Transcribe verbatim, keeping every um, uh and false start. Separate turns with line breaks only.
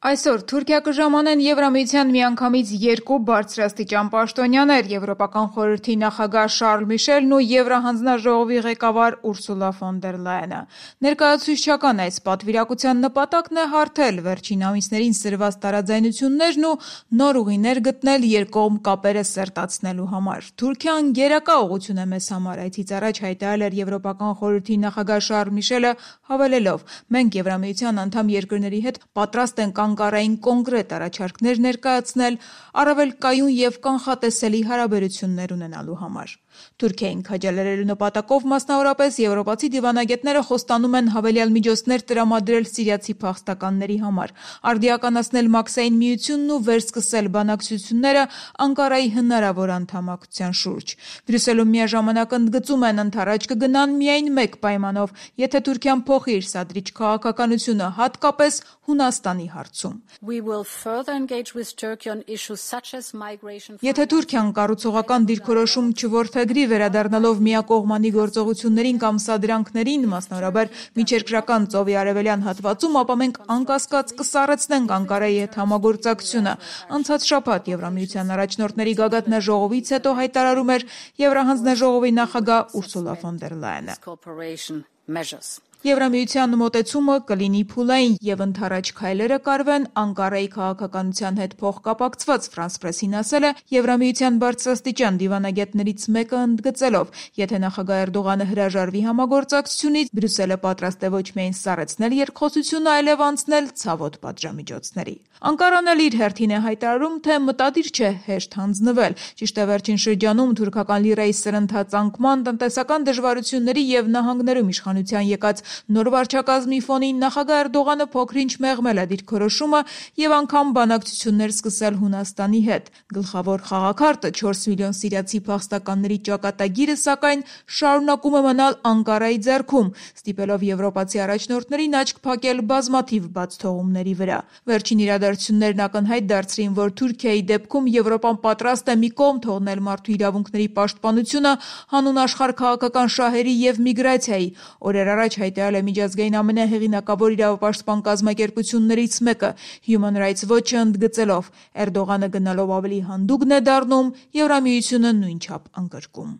Այսօր Թուրքիա կժամանեն Եվրամիության միանգամից երկու բարձրաստիճան պաշտոնյաներ՝ Եվրոպական խորհրդի նախագահ Շարլ Միշելն ու Եվրահանձնաժողովի ղեկավար Ուրսուլա ֆոն դեր Լայենը։ Ներկայացուցչական այս պատվիրակության նպատակն է հարթել վերջին ամիսներին սրված տարաձայնություններն ու նոր ուղիներ գտնել երկկողմ կապերը սերտացնելու համար։ Թուրքիան գերակա ուղղություն է մեզ համար, այդից առաջ հայտարարել էր Եվրոպական խորհրդի նախագահ Շարլ Միշելը, հավելելով. «Մենք Եվրամիության անդամ երկրների հետ պատրաստ ենք Անկարային կոնկրետ առաջարկներ ներկայացնել առավել կայուն և կանխատեսելի հարաբերություններ ունենալու համար»։ Թուրքիային քաջալերելու նպատակով մասնավորապես եվրոպացի դիվանագետները խոստանում են հավելյալ միջոցներ տրամադրել սիրիացի փախստականների համար, արդիականացնել Մաքսային միությունն ու վերսկսել բանակցությունները Անկարայի հնարավոր անդամակցության շուրջ։ Բրյուսելում միաժամանակ ընդգծում են ընդառաջ կգնան միայն մեկ պայմանով, եթե Թուրքիան փոխի իր սադրիչ քաղաքականությունը, հատկապես Հունաստանի հարցում։ Եթե Թուրքիան կառուցողական դիրքորոշում չորդեգրի վերադառնալով միակողմանի գործողություններին կամ սադրանքներին, մասնավորաբար միջերկրական ծովի արևելյան հատվածում, ապա մենք անկասկած կսառեցնենք Անկարայի հետ համագործակցությունը, անցած շաբաթ Եվրամիության առաջնորդների գագաթնաժողովից հետո հայտարարում էր Եվրահանձնաժողովի նախագահ Ուրսուլա ֆոն դեր Լայենը։ Եվրամիության մոտեցումը կլինի փուլային և ընդառաջ քայլերը կարվեն Անկարայի քաղաքականության հետ փոխկապակցված, Ֆրանս Պրեսին ասել է Եվրամիության բարձրաստիճան դիվանագետներից մեկը ընդգծելով. եթե նախագահ Էրդողանը հրաժարվի համագործակցությունից, Բրյուսելը պատրաստ է ոչ միայն սառեցնել երկխոսությունը, այլև անցնել ցավոտ պատժամիջոցների։ Անկարան էլ իր հերթին է հայտարարում, թե մտադիր չէ հեշտ հանձնվել։ Ճիշտ է, վերջին շրջանում թուրքական լիրայի սրընթաց անկման, տնտեսական դժվարությունների և նահանգներում իշխանության եկած նոր վարչակազմի ֆոնին նախագահ Էրդողանը փոքր-ինչ մեղմել է դիրքորոշումը և անգամ բանակցություններ սկսել Հունաստանի հետ։ Գլխավոր խաղաքարտը չորս միլիոն սիրիացի փախստականների ճակատագիրը, սակայն, շարունակում է մնալ Անկարայի ձեռքում, ստիպելով եվրոպացի առաջնորդներին աչք փակել բազմաթիվ բացթողումների վրա։ Վերջին իրադարձություններն ակնհայտ դարձրին, որ Թուրքիայի դեպքում Եվրոպան պատրաստ է մի կողմ թողնել մարդու իրավունքների պաշտպանությունը հանուն աշխարհաքաղաքական շահերի և միգրացիայի։ Օրեր առաջ հայտարարել է միջազգային ամենահեղինակավոր իրավապաշտպան կազմակերպություններից մեկը՝ Human Rights Watch-ը, ընդգծելով. Էրդողանը գնալով ավելի հանդուգն է դառնում, Եվրամիությունը նույնչափ ընդգրկում։